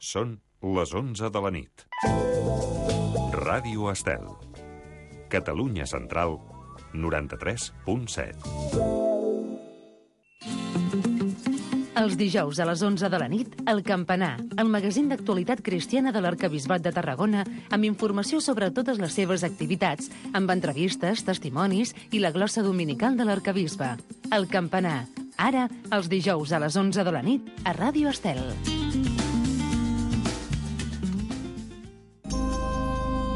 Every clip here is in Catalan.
Són les 11 de la nit. Ràdio Estel. Catalunya Central, 93.7. Els dijous a les 11 de la nit, El Campanar, el magazín d'actualitat cristiana de l'Arquebisbat de Tarragona, amb informació sobre totes les seves activitats, amb entrevistes, testimonis i la glossa dominical de l'arquebisbe. El Campanar, ara, els dijous a les 11 de la nit, a Ràdio Estel.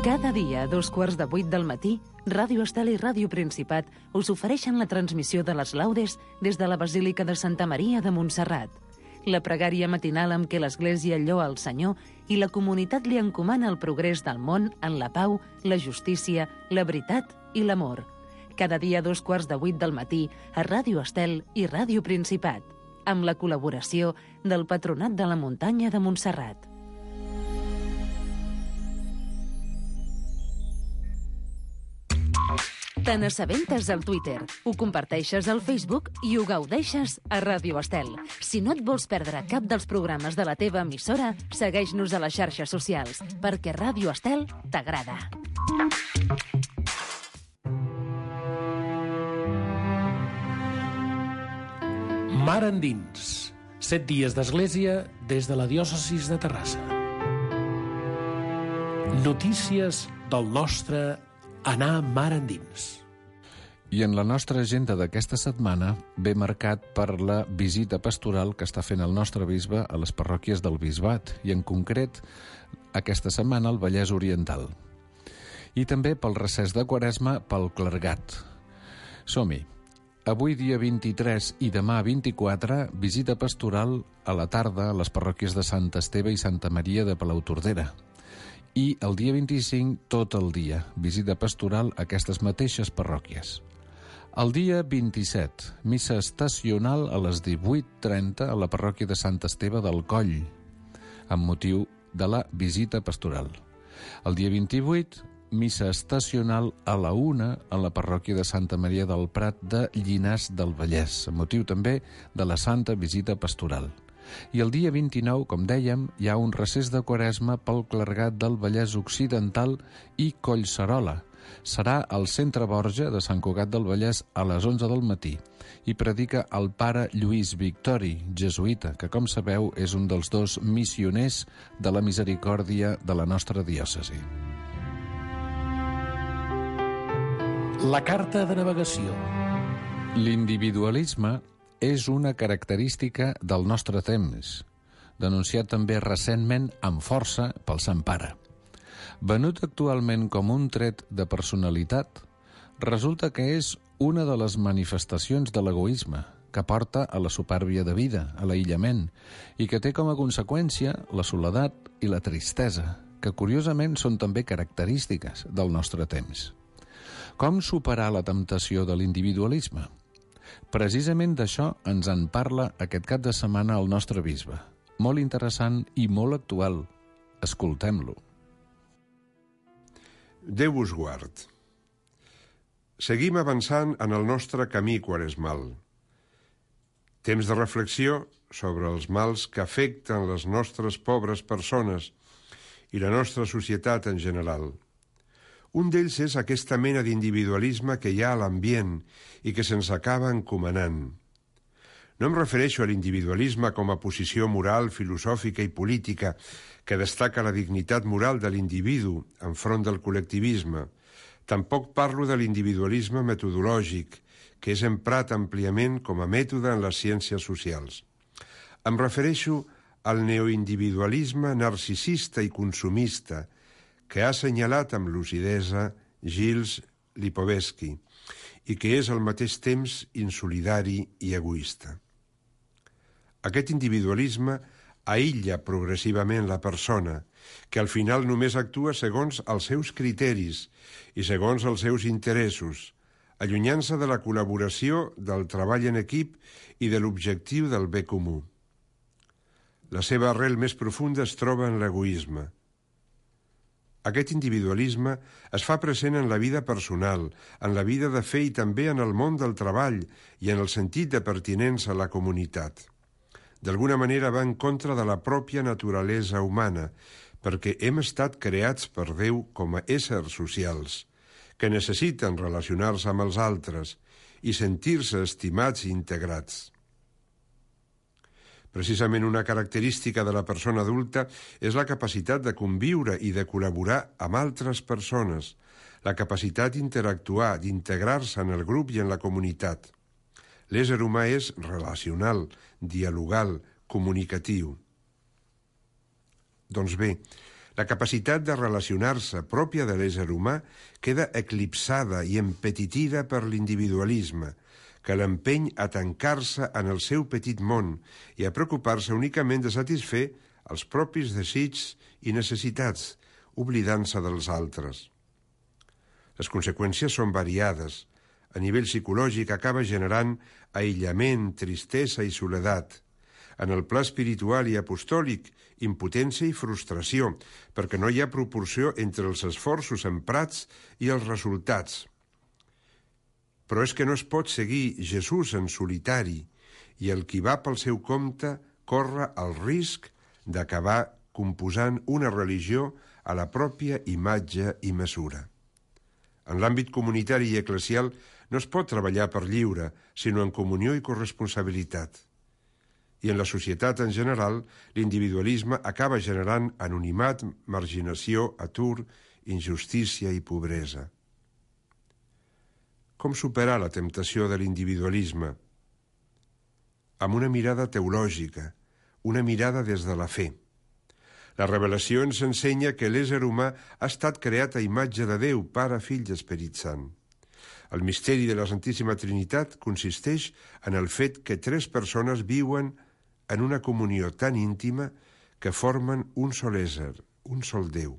Cada dia a 7:15 del matí, Ràdio Estel i Ràdio Principat us ofereixen la transmissió de les laudes des de la Basílica de Santa Maria de Montserrat. La pregària matinal amb què l'Església lloa el Senyor i la comunitat li encomana el progrés del món en la pau, la justícia, la veritat i l'amor. Cada dia a 7:15 del matí a Ràdio Estel i Ràdio Principat, amb la col·laboració del Patronat de la Muntanya de Montserrat. Te n'assabentes al Twitter, ho comparteixes al Facebook i ho gaudeixes a Ràdio Estel. Si no et vols perdre cap dels programes de la teva emissora, segueix-nos a les xarxes socials, perquè Ràdio Estel t'agrada. Mar endins. 7 dies d'església des de la diòcesis de Terrassa. Notícies del nostre anar mar endins. I en la nostra agenda d'aquesta setmana ve marcat per la visita pastoral que està fent el nostre bisbe a les parròquies del bisbat, i en concret aquesta setmana al Vallès Oriental. I també pel recés de Quaresma pel clergat. Som-hi. Avui dia 23 i demà 24, visita pastoral a la tarda a les parròquies de Sant Esteve i Santa Maria de Palautordera. I el dia 25, tot el dia, visita pastoral a aquestes mateixes parròquies. El dia 27, missa estacional a les 18:30 a la parròquia de Sant Esteve del Coll, amb motiu de la visita pastoral. El dia 28, missa estacional a la 1 a la parròquia de Santa Maria del Prat de Llinars del Vallès, amb motiu també de la Santa Visita Pastoral. I el dia 29, com dèiem, hi ha un recés de Quaresma pel clergat del Vallès Occidental i Collserola. Serà al Centre Borja de Sant Cugat del Vallès a les 11 del matí i predica el pare Lluís Victori, jesuïta, que, com sabeu, és un dels 2 missioners de la misericòrdia de la nostra diòcesi. La carta de navegació. L'individualisme és una característica del nostre temps, denunciat també recentment amb força pel Sant Pare. Venut actualment com un tret de personalitat, resulta que és una de les manifestacions de l'egoisme que porta a la supèrbia de vida, a l'aïllament, i que té com a conseqüència la soledat i la tristesa, que curiosament són també característiques del nostre temps. Com superar la temptació de l'individualisme? Precisament d'això ens en parla aquest cap de setmana el nostre bisbe. Molt interessant i molt actual. Escoltem-lo. Déu us guard. Seguim avançant en el nostre camí quaresmal. Temps de reflexió sobre els mals que afecten les nostres pobres persones i la nostra societat en general. Un d'ells és aquesta mena d'individualisme que hi ha a l'ambient i que se'ns acaba encomanant. No em refereixo a l'individualisme com a posició moral, filosòfica i política que destaca la dignitat moral de l'individu enfront del col·lectivisme. Tampoc parlo de l'individualisme metodològic, que és emprat àmpliament com a mètode en les ciències socials. Em refereixo al neoindividualisme narcisista i consumista que ha assenyalat amb lucidesa Gilles Lipovetsky i que és al mateix temps insolidari i egoista. Aquest individualisme aïlla progressivament la persona, que al final només actua segons els seus criteris i segons els seus interessos, allunyant-se de la col·laboració, del treball en equip i de l'objectiu del bé comú. La seva arrel més profunda es troba en l'egoisme. Aquest individualisme es fa present en la vida personal, en la vida de fe i també en el món del treball i en el sentit de pertinença a la comunitat. D'alguna manera va en contra de la pròpia naturalesa humana, perquè hem estat creats per Déu com a éssers socials, que necessiten relacionar-se amb els altres i sentir-se estimats i integrats. Precisament una característica de la persona adulta és la capacitat de conviure i de col·laborar amb altres persones, la capacitat d'interactuar, d'integrar-se en el grup i en la comunitat. L'ésser humà és relacional, dialogal, comunicatiu. Doncs bé, la capacitat de relacionar-se pròpia de l'ésser humà queda eclipsada i empetitida per l'individualisme, que l'empeny a tancar-se en el seu petit món i a preocupar-se únicament de satisfer els propis desigs i necessitats, oblidant-se dels altres. Les conseqüències són variades. A nivell psicològic acaba generant aïllament, tristesa i soledat. En el pla espiritual i apostòlic, impotència i frustració, perquè no hi ha proporció entre els esforços emprats i els resultats. Però és que no es pot seguir Jesús en solitari i el qui va pel seu compte corre el risc d'acabar composant una religió a la pròpia imatge i mesura. En l'àmbit comunitari i eclesial no es pot treballar per lliure, sinó en comunió i corresponsabilitat. I en la societat en general, l'individualisme acaba generant anonimat, marginació, atur, injustícia i pobresa. Com superar la temptació de l'individualisme? Amb una mirada teològica, una mirada des de la fe. La revelació ens ensenya que l'ésser humà ha estat creat a imatge de Déu, Pare, Fill i Esperit Sant. El misteri de la Santíssima Trinitat consisteix en el fet que tres persones viuen en una comunió tan íntima que formen un sol ésser, un sol Déu.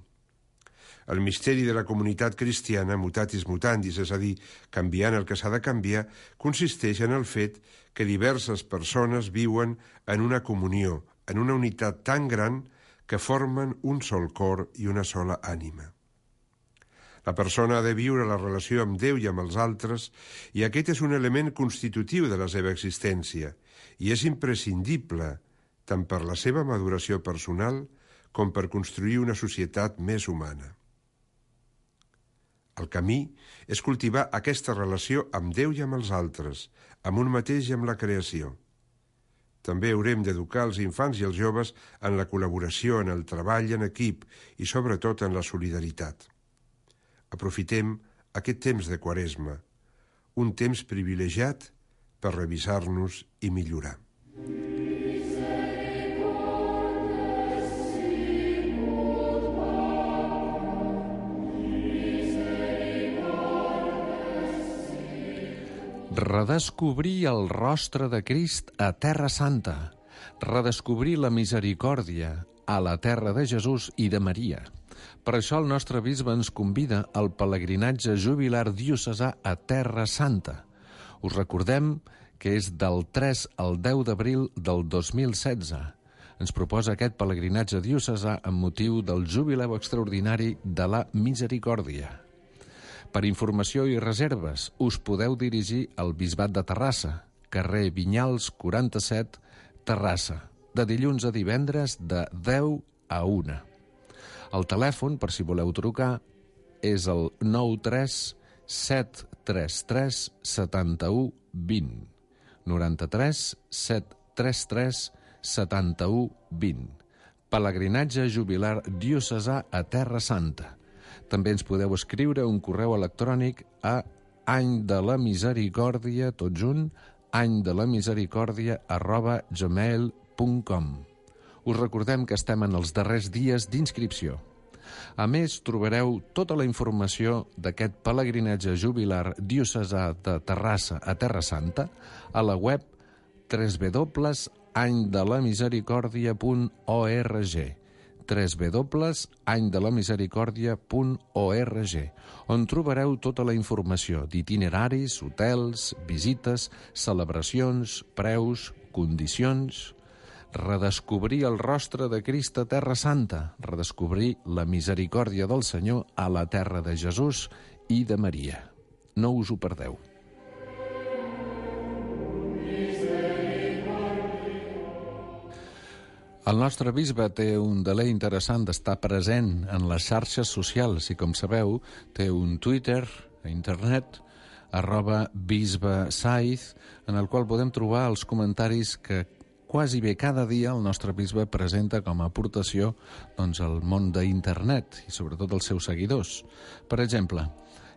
El misteri de la comunitat cristiana, mutatis mutandis, és a dir, canviant el que s'ha de canviar, consisteix en el fet que diverses persones viuen en una comunió, en una unitat tan gran que formen un sol cor i una sola ànima. La persona ha de viure la relació amb Déu i amb els altres, i aquest és un element constitutiu de la seva existència, i és imprescindible tant per la seva maduració personal com per construir una societat més humana. El camí és cultivar aquesta relació amb Déu i amb els altres, amb un mateix i amb la creació. També haurem d'educar els infants i els joves en la col·laboració, en el treball en equip i sobretot en la solidaritat. Aprofitem aquest temps de Quaresma, un temps privilegiat per revisar-nos i millorar. Redescobrir el rostre de Crist a Terra Santa, redescobrir la misericòrdia a la terra de Jesús i de Maria. Per això el nostre bisbe ens convida al pelegrinatge jubilar diocesà a Terra Santa. Us recordem que és del 3 al 10 d'abril del 2016. Ens proposa aquest pelegrinatge diocesà amb motiu del jubileu extraordinari de la Misericòrdia. Per informació i reserves, us podeu dirigir al Bisbat de Terrassa, carrer Vinyals 47, Terrassa, de dilluns a divendres de 10 a 1. El telèfon, per si voleu trucar, és el 93 733 71 20. 93 733 71 20. Pelegrinatge jubilar diocesà a Terra Santa. També ens podeu escriure un correu electrònic a anydelamisericòrdia, tot junt, anydelamisericòrdia@gmail.com. Us recordem que estem en els darrers dies d'inscripció. A més, trobareu tota la informació d'aquest pelegrinatge jubilar diocesà de Terrassa a Terra Santa a la web www.anydelamisericòrdia.org www.anydelamisericòrdia.org, on trobareu tota la informació d'itineraris, hotels, visites, celebracions, preus, condicions. Redescobrir el rostre de Crist a Terra Santa, redescobrir la misericòrdia del Senyor a la terra de Jesús i de Maria. No us ho perdeu. El nostre bisbe té un delay interessant d'estar present en les xarxes socials i, com sabeu, té un Twitter a internet, @bisbesaiz, en el qual podem trobar els comentaris que quasi bé cada dia el nostre bisbe presenta com a aportació al món d'internet i sobretot als seus seguidors. Per exemple,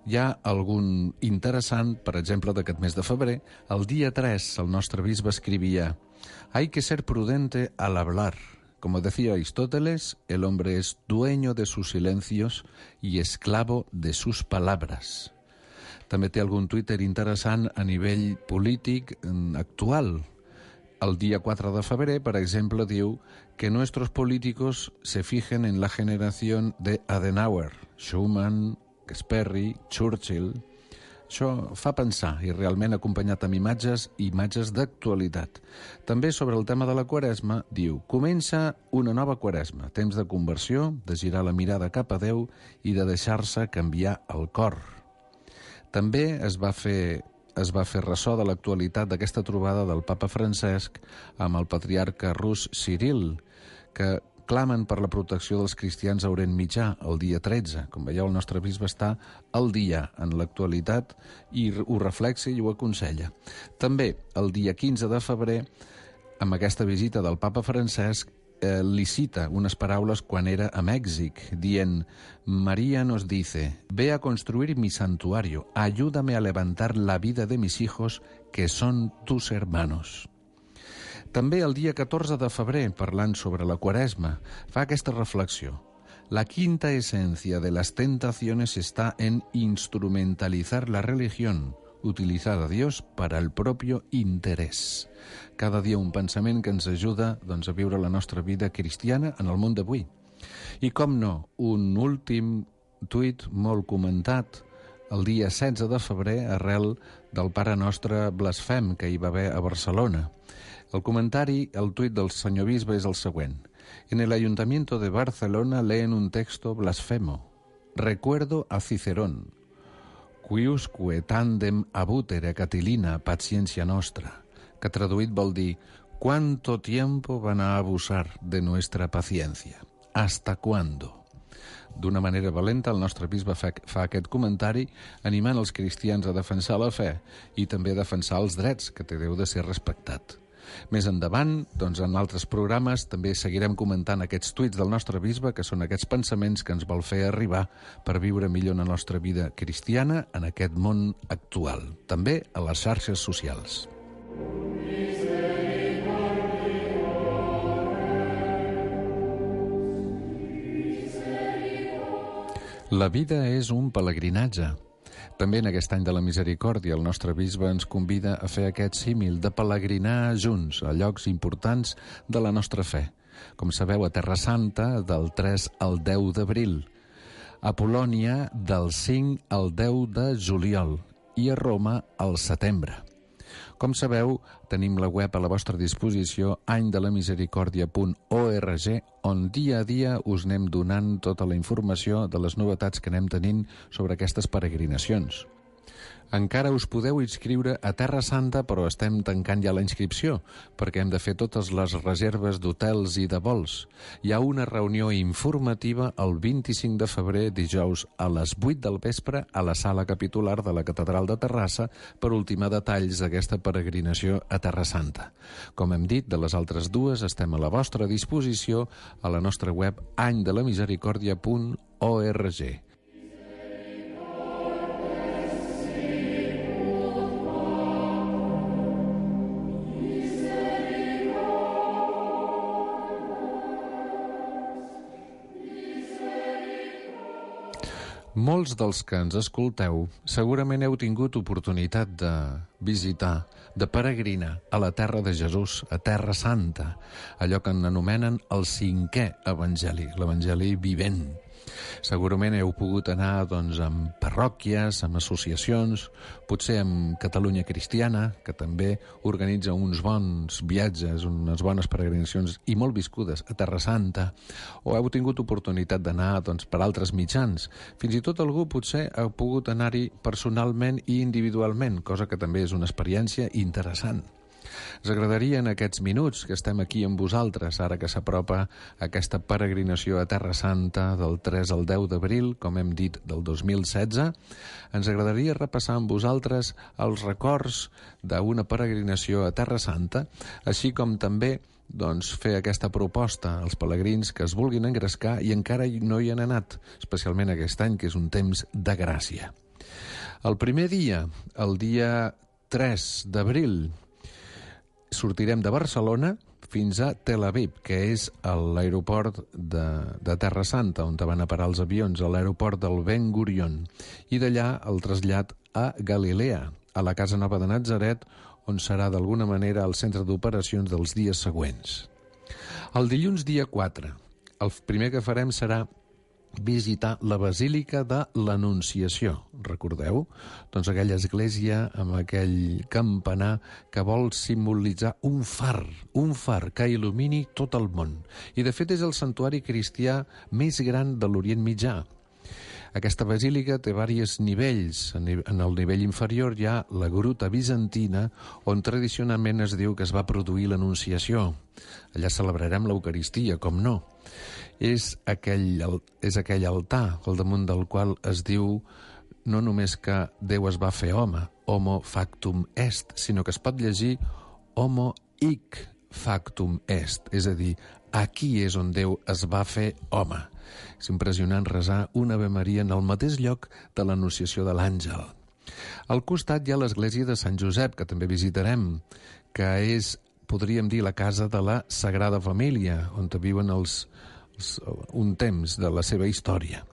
hi ha algun interessant, per exemple, d'aquest mes de febrer. El dia 3 el nostre bisbe escrivia: «Hay que ser prudente al hablar. Como decía Aristóteles, el hombre es dueño de sus silencios y esclavo de sus palabras». També té algun Twitter interessant a nivell polític actual. El día 4 de febrer, por ejemplo, diu que nuestros políticos se fijen en la generación de Adenauer, Schumann, Sperry, Churchill. Això fa pensar, i realment acompanyat amb imatges d'actualitat. També sobre el tema de la Quaresma, diu: comença una nova Quaresma, temps de conversió, de girar la mirada cap a Déu i de deixar-se canviar el cor. També es va fer ressò de l'actualitat d'aquesta trobada del papa Francesc amb el patriarca rus Ciril, que clamen per la protecció dels cristians a Orient Mitjà el dia 13. Com veieu, el nostre bisbe està al dia en l'actualitat i ho reflexa i ho aconsella. També el dia 15 de febrer, amb aquesta visita del papa Francesc, li cita unes paraules quan era a Mèxic, dient: «María nos dice, ve a construir mi santuario, ayúdame a levantar la vida de mis hijos, que son tus hermanos». També el dia 14 de febrer, parlant sobre la Quaresma, fa aquesta reflexió: «La quinta esencia de las tentaciones está en instrumentalizar la religión, utilizar a Dios para el propio interés». Cada dia un pensament que ens ajuda a viure la nostra vida cristiana en el món d'avui. I com no, un últim tuit molt comentat el dia 16 de febrer arrel del Pare Nostre blasfem que hi va haver a Barcelona. El comentari, el tuit del senyor bisbe és el següent: «En el Ayuntamiento de Barcelona leen un texto blasfemo. Recuerdo a Cicerón. Quiusque tandem abutere Catilina paciencia nostra», que traduït vol dir «¿Cuánto tiempo van a abusar de nuestra paciencia? ¿Hasta cuándo?». D'una manera valenta, el nostre bisbe fa aquest comentari animant els cristians a defensar la fe i també a defensar els drets, que té Déu de ser respectat. Més endavant, en altres programes, també seguirem comentant aquests tuits del nostre bisbe, que són aquests pensaments que ens vol fer arribar per viure millor la nostra vida cristiana en aquest món actual, també a les xarxes socials. La vida és un pelegrinatge. També en aquest any de la misericòrdia el nostre bisbe ens convida a fer aquest símil de pelegrinar junts a llocs importants de la nostra fe. Com sabeu, a Terra Santa del 3 al 10 d'abril, a Polònia del 5 al 10 de juliol i a Roma al setembre. Com sabeu, tenim la web a la vostra disposició, anydelamisericòrdia.org, on dia a dia us anem donant tota la informació de les novetats que anem tenint sobre aquestes peregrinacions. Encara us podeu inscriure a Terra Santa, però estem tancant ja la inscripció, perquè hem de fer totes les reserves d'hotels i de vols. Hi ha una reunió informativa el 25 de febrer, dijous, a les 8 del vespre, a la sala capitular de la Catedral de Terrassa, per ultimar detalls d'aquesta peregrinació a Terra Santa. Com hem dit, de les altres dues estem a la vostra disposició a la nostra web anydelamisericòrdia.org. Molts dels que ens escolteu segurament heu tingut oportunitat de visitar, de peregrinar a la terra de Jesús, a Terra Santa, allò que anomenen el 5è Evangeli, l'Evangeli vivent. Segurament heu pogut anar amb parròquies, amb associacions, potser amb Catalunya Cristiana, que també organitza uns bons viatges, unes bones peregrinacions i molt viscudes a Terra Santa, o heu tingut oportunitat d'anar per altres mitjans. Fins i tot algú potser ha pogut anar-hi personalment i individualment, cosa que també és una experiència interessant. Ens agradaria en aquests minuts que estem aquí amb vosaltres, ara que s'apropa aquesta peregrinació a Terra Santa del 3 al 10 d'abril, com hem dit, del 2016, ens agradaria repassar amb vosaltres els records d'una peregrinació a Terra Santa, així com també fer aquesta proposta als pelegrins que es vulguin engrescar i encara no hi han anat, especialment aquest any, que és un temps de gràcia. El primer dia, el dia 3 d'abril, sortirem de Barcelona fins a Tel Aviv, que és l'aeroport de Terra Santa, on van a parar els avions, a l'aeroport del Ben Gurion, i d'allà el trasllat a Galilea, a la Casa Nova de Natzaret, on serà d'alguna manera el centre d'operacions dels dies següents. El dilluns dia 4, el primer que farem serà visitar la Basílica de l'Anunciació. Recordeu? Doncs aquella església amb aquell campanar que vol simbolitzar un far que il·lumini tot el món. I de fet és el santuari cristià més gran de l'Orient Mitjà. Aquesta basílica té diversos nivells. En el nivell inferior hi ha la gruta bizantina, on tradicionalment es diu que es va produir l'Anunciació. Allà celebrarem l'Eucaristia, com no. És aquell altar al damunt del qual es diu no només que Déu es va fer home, homo factum est, sinó que es pot llegir homo hic factum est, és a dir, aquí és on Déu es va fer home. És impressionant resar una Ave Maria en el mateix lloc de l'Anunciació de l'Àngel. Al costat hi ha l'església de Sant Josep, que també visitarem, que és, podríem dir, la casa de la Sagrada Família, on viuen un temps de la seva història.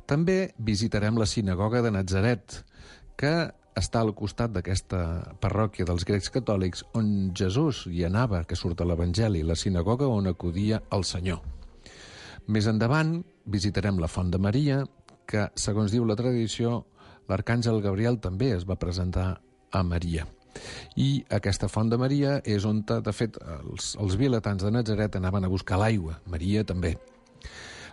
També visitarem la sinagoga de Natzaret, que està al costat d'aquesta parròquia dels grecs catòlics, on Jesús hi anava, que surt a l'Evangeli, la sinagoga on acudia el Senyor. Més endavant visitarem la Font de Maria, que, segons diu la tradició, l'arcàngel Gabriel també es va presentar a Maria. I aquesta Font de Maria és on, de fet, els vilatans de Natzaret anaven a buscar l'aigua, Maria també.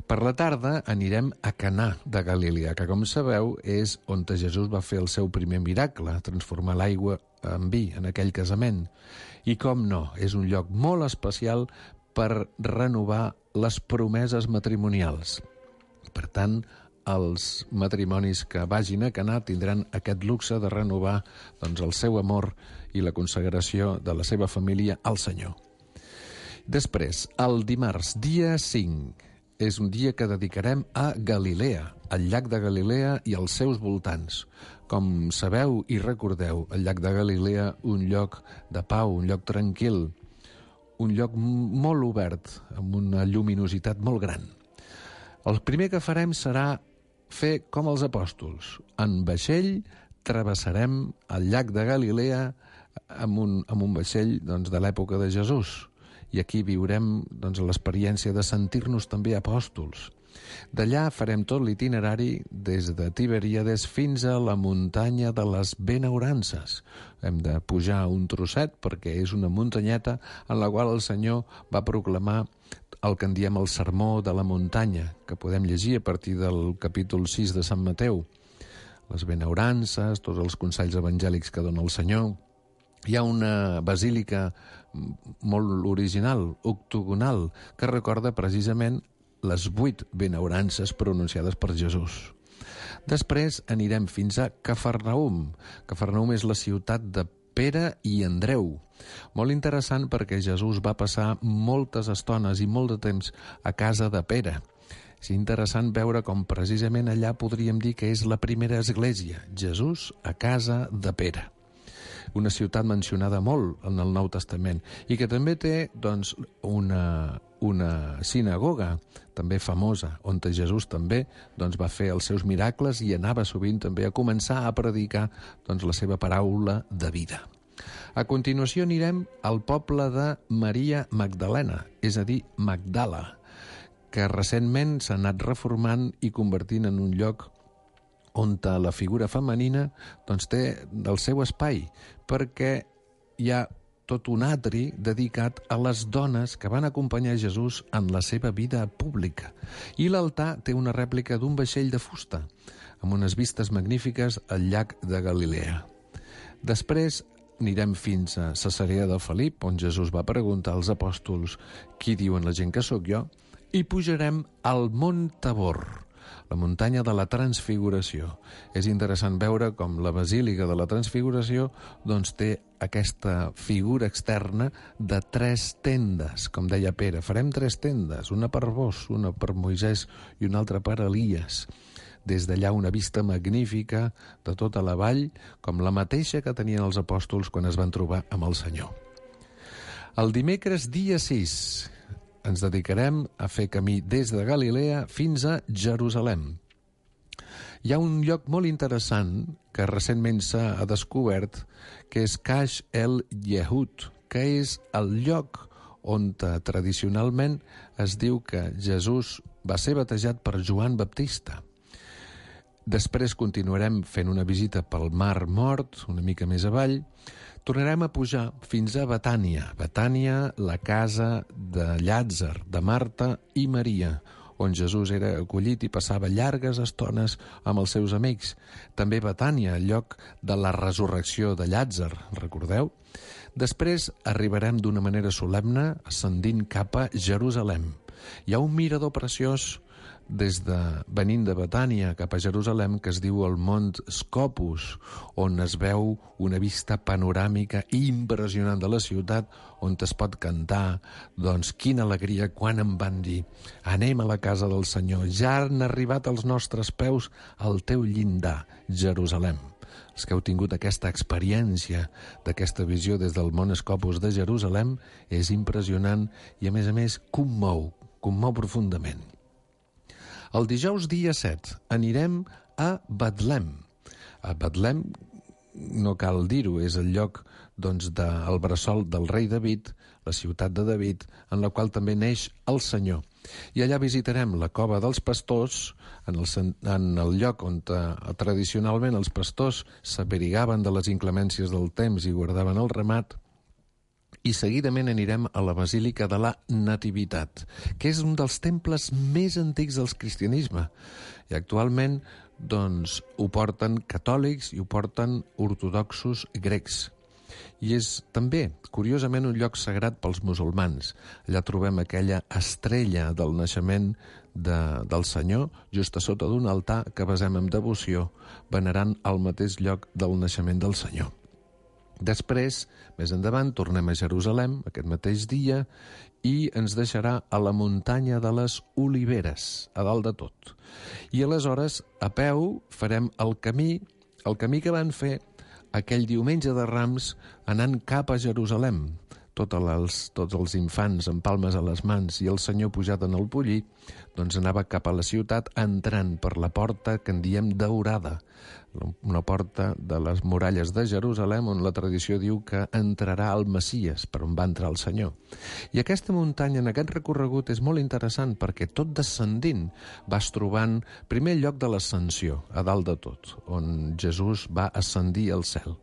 Per la tarda anirem a Caná de Galilea, que, com sabeu, és on Jesús va fer el seu primer miracle, transformar l'aigua en vi en aquell casament. I, com no, és un lloc molt especial per renovar les promeses matrimonials. Per tant, els matrimonis que vagin a Caná tindran aquest luxe de renovar el seu amor i la consagració de la seva família al Senyor. Després, el dimarts, dia 5, és un dia que dedicarem a Galilea, al llac de Galilea i als seus voltants. Com sabeu i recordeu, el llac de Galilea, un lloc de pau, un lloc tranquil, un lloc molt obert, amb una lluminositat molt gran. El primer que farem serà fer com els apòstols. En vaixell travessarem el llac de Galilea amb un vaixell de l'època de Jesús. I aquí viurem l'experiència de sentir-nos també apòstols. D'allà farem tot l'itinerari des de Tiberíades fins a la muntanya de les Benaurances. Hem de pujar un trosset perquè és una muntanyeta en la qual el Senyor va proclamar el que en diem el sermó de la muntanya, que podem llegir a partir del capítol 6 de Sant Mateu. Les benaurances, tots els consells evangèlics que dona el Senyor. Hi ha una basílica molt original, octogonal, que recorda precisament les 8 benaurances pronunciades per Jesús. Després anirem fins a Cafarnaum. Cafarnaum és la ciutat de Pere i Andreu. Molt interessant perquè Jesús va passar moltes estones i molt de temps a casa de Pere. És interessant veure com precisament allà podríem dir que és la primera església, Jesús a casa de Pere. Una ciutat mencionada molt en el Nou Testament i que també té una sinagoga també famosa, on Jesús també va fer els seus miracles i anava sovint també a començar a predicar la seva paraula de vida. A continuació anirem al poble de Maria Magdalena, és a dir, Magdala, que recentment s'ha anat reformant i convertint en un lloc on la figura femenina té el seu espai, perquè hi ha tot un atri dedicat a les dones que van acompanyar Jesús en la seva vida pública. I l'altar té una rèplica d'un vaixell de fusta, amb unes vistes magnífiques al llac de Galilea. Després anirem fins a Cesarea de Felip, on Jesús va preguntar als apòstols qui diuen la gent que sóc jo, i pujarem al Mont Tabor, la muntanya de la Transfiguració. És interessant veure com la Basílica de la Transfiguració doncs, té aquesta figura externa de 3 tendes. Com deia Pere, farem 3 tendes, una per vos, una per Moisès i una altra per Elies. Des d'allà una vista magnífica de tota la vall, com la mateixa que tenien els apòstols quan es van trobar amb el Senyor. El dimecres, dia 6, ens dedicarem a fer camí des de Galilea fins a Jerusalem. Hi ha un lloc molt interessant que recentment s'ha descobert, que és Caix el Yehud, que és el lloc on tradicionalment es diu que Jesús va ser batejat per Joan Baptista. Després continuarem fent una visita pel Mar Mort, una mica més avall. Tornarem a pujar fins a Betània. Betània, la casa de Llàtzer, de Marta i Maria, on Jesús era acollit i passava llargues estones amb els seus amics. També Betània, el lloc de la resurrecció de Llàtzer, recordeu? Després arribarem d'una manera solemne ascendint cap a Jerusalem. Hi ha un mirador preciós venint de Betània cap a Jerusalem que es diu el Mont Scopus, on es veu una vista panoràmica impressionant de la ciutat, on es pot cantar, doncs quina alegria quan em van dir anem a la casa del Senyor, ja han arribat als nostres peus al teu llindar, Jerusalem. Els que heu tingut aquesta experiència d'aquesta visió des del Mont Scopus de Jerusalem és impressionant i a més commou profundament. El dijous dia 7 anirem a Betlem. A Betlem, no cal dir-ho, és el lloc doncs, del bressol del rei David, la ciutat de David, en la qual també neix el Senyor. I allà visitarem la cova dels pastors, en el lloc on tradicionalment els pastors s'abrigaven de les inclemències del temps i guardaven el ramat, i seguidament anirem a la Basílica de la Nativitat, que és un dels temples més antics del cristianisme. I actualment doncs, ho porten catòlics i ho porten ortodoxos grecs. I és també, curiosament, un lloc sagrat pels musulmans. Allà trobem aquella estrella del naixement del Senyor just a sota d'un altar que basem amb devoció, venerant el mateix lloc del naixement del Senyor. Després, més endavant, tornem a Jerusalem aquest mateix dia i ens deixarà a la muntanya de les Oliveres, a dalt de tot. I aleshores, a peu, farem el camí que van fer aquell diumenge de Rams anant cap a Jerusalem. Tots els infants amb palmes a les mans i el Senyor pujat en el pollí, doncs anava cap a la ciutat entrant per la porta que en diem daurada, una porta de les muralles de Jerusalem on la tradició diu que entrarà el Messies, per on va entrar el Senyor. I aquesta muntanya, en aquest recorregut, és molt interessant perquè tot descendint vas trobant primer lloc de l'ascensió, a dalt de tot, on Jesús va ascendir al cel.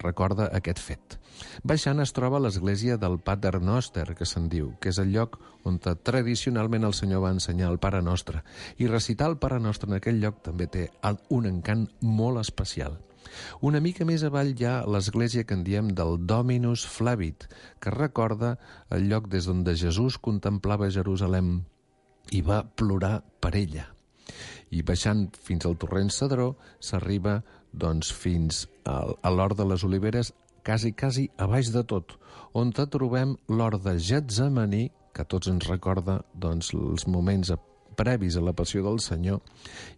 Recorda aquest fet. Baixant es troba l'església del Pater Noster, que se'n diu, que és el lloc on tradicionalment el Senyor va ensenyar el Pare Nostre. I recitar el Pare Nostre en aquell lloc també té un encant molt especial. Una mica més avall hi ha l'església que en diem del Dominus Flavit, que recorda el lloc des d'on Jesús contemplava Jerusalem i va plorar per ella. I baixant fins al torrent Cedró s'arriba doncs, fins a l'hort de les Oliveres, quasi a baix de tot, on trobem l'hort de Getsemaní, que a tots ens recorda doncs, els moments previs a la passió del Senyor,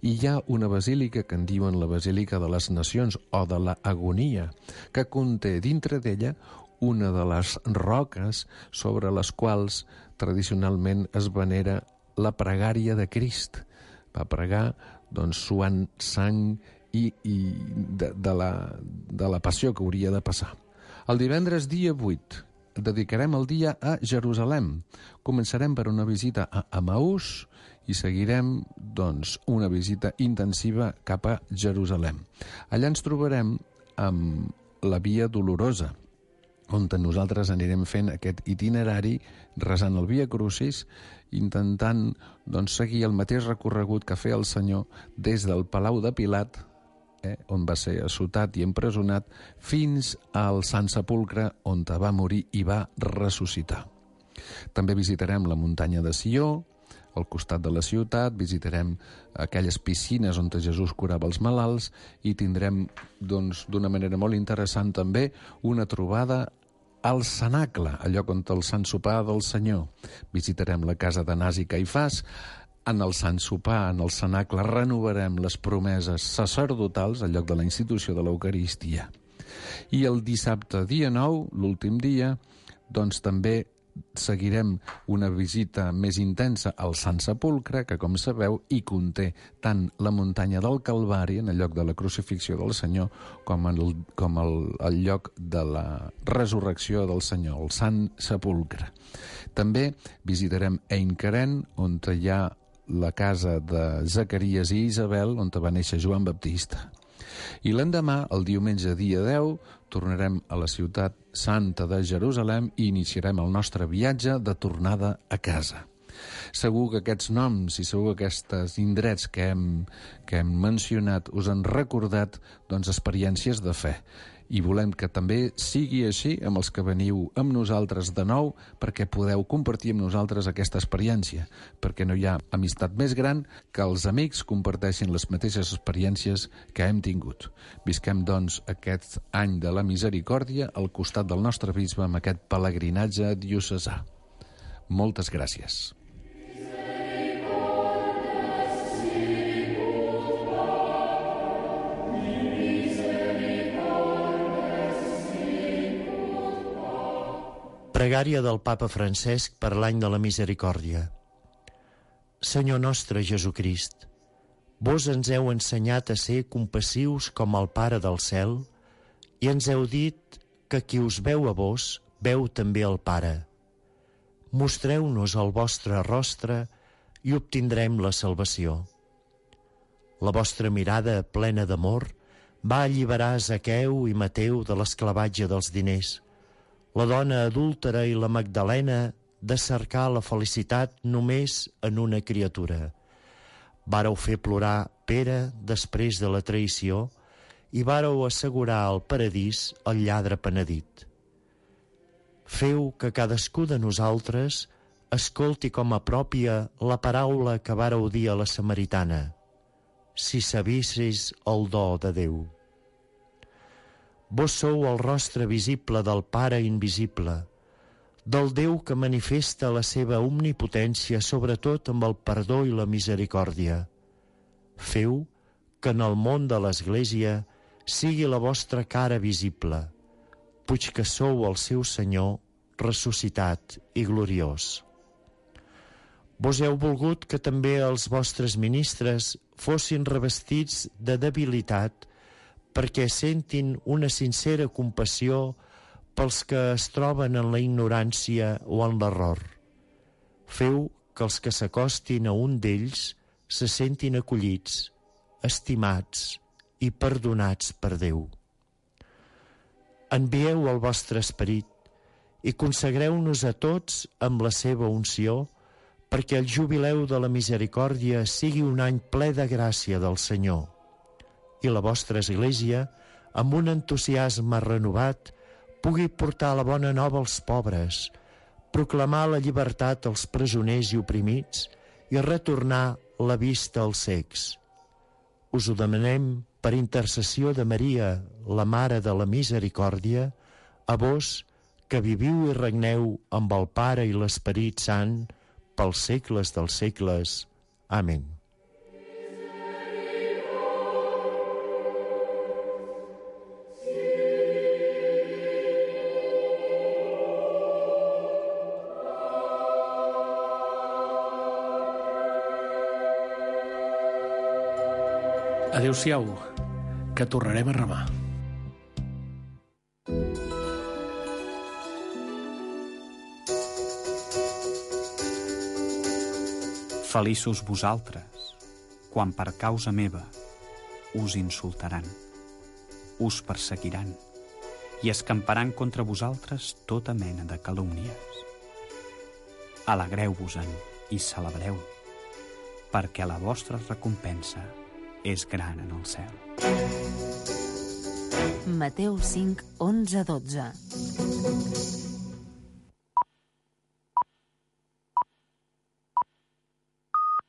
i hi ha una basílica que en diuen la Basílica de les Nacions o de l'Agonia, que conté dintre d'ella una de les roques sobre les quals tradicionalment es venera la pregària de Crist. Va pregar doncs, suant sang i de la passió que hauria de passar. El divendres dia 8 dedicarem el dia a Jerusalem. Començarem per una visita a Emaús i seguirem doncs, una visita intensiva cap a Jerusalem. Allà ens trobarem amb la Via Dolorosa, on nosaltres anirem fent aquest itinerari resant el Via Crucis, intentant doncs, seguir el mateix recorregut que feia el Senyor des del Palau de Pilat on va ser assotat i empresonat, fins al Sant Sepulcre, on va morir i va ressuscitar. També visitarem la muntanya de Sió, al costat de la ciutat, visitarem aquelles piscines on Jesús curava els malalts i tindrem, doncs, d'una manera molt interessant també, una trobada al cenacle, al lloc on el Sant Sopar del Senyor. Visitarem la casa d'Anàs i Caifàs. En el Sant Sopar, en el cenacle, renovarem les promeses sacerdotals al lloc de la institució de l'Eucaristia. I el dissabte, dia 9, l'últim dia, doncs també seguirem una visita més intensa al Sant Sepulcre, que, com sabeu, hi conté tant la muntanya del Calvari, en el lloc de la crucifixió del Senyor, com el lloc de la resurrecció del Senyor, el Sant Sepulcre. També visitarem Ein Keren, on hi ha la casa de Zacaries i Isabel, on va néixer Joan Baptista. I l'endemà, el diumenge dia 10, tornarem a la ciutat santa de Jerusalem i iniciarem el nostre viatge de tornada a casa. Segur que aquests noms i segur que aquests indrets que hem mencionat us han recordat, doncs, experiències de fe. I volem que també sigui així amb els que veniu amb nosaltres de nou, perquè podeu compartir amb nosaltres aquesta experiència, perquè no hi ha amistat més gran que els amics comparteixin les mateixes experiències que hem tingut. Visquem, doncs, aquest any de la misericòrdia al costat del nostre bisbe amb aquest pelegrinatge diocesà. Moltes gràcies. Pregària del Papa Francesc per l'any de la misericòrdia. Senyor nostre Jesucrist, vos ens heu ensenyat a ser compassius com el Pare del cel i ens heu dit que qui us veu a vos, veu també el Pare. Mostreu-nos el vostre rostre i obtindrem la salvació. La vostra mirada plena d'amor va alliberar Zaqueu i Mateu de l'esclavatge dels diners, la dona adúltera i la Magdalena de cercar la felicitat només en una criatura. Vàreu fer plorar Pere després de la traïció i vàreu assegurar al paradís el lladre penedit. Feu que cadascú de nosaltres escolti com a pròpia la paraula que vàreu dir a la samaritana: si sabissis el do de Déu. Vos sou el rostre visible del Pare invisible, del Déu que manifesta la seva omnipotència, sobretot amb el perdó i la misericòrdia. Feu que en el món de l'Església sigui la vostra cara visible, puix que sou el seu Senyor ressuscitat i gloriós. Vos heu volgut que també els vostres ministres fossin revestits de debilitat, perquè sentin una sincera compassió pels que es troben en la ignorància o en l'error. Feu que els que s'acostin a un d'ells se sentin acollits, estimats i perdonats per Déu. Envieu el vostre esperit i consagreu-nos a tots amb la seva unció, perquè el jubileu de la misericòrdia sigui un any ple de gràcia del Senyor, i la vostra Església, amb un entusiasme renovat, pugui portar la bona nova als pobres, proclamar la llibertat als presoners i oprimits i retornar la vista als cecs. Us ho demanem per intercessió de Maria, la Mare de la Misericòrdia, a vos que viviu i regneu amb el Pare i l'Esperit Sant pels segles dels segles. Amén. Adéu-siau, que tornarem a remar. Feliços vosaltres, quan per causa meva us insultaran, us perseguiran i escamparan contra vosaltres tota mena de calúmnies. Alegreu-vos-en i celebreu, perquè la vostra recompensa és gran en el cel. Mateu 5, 11, 12.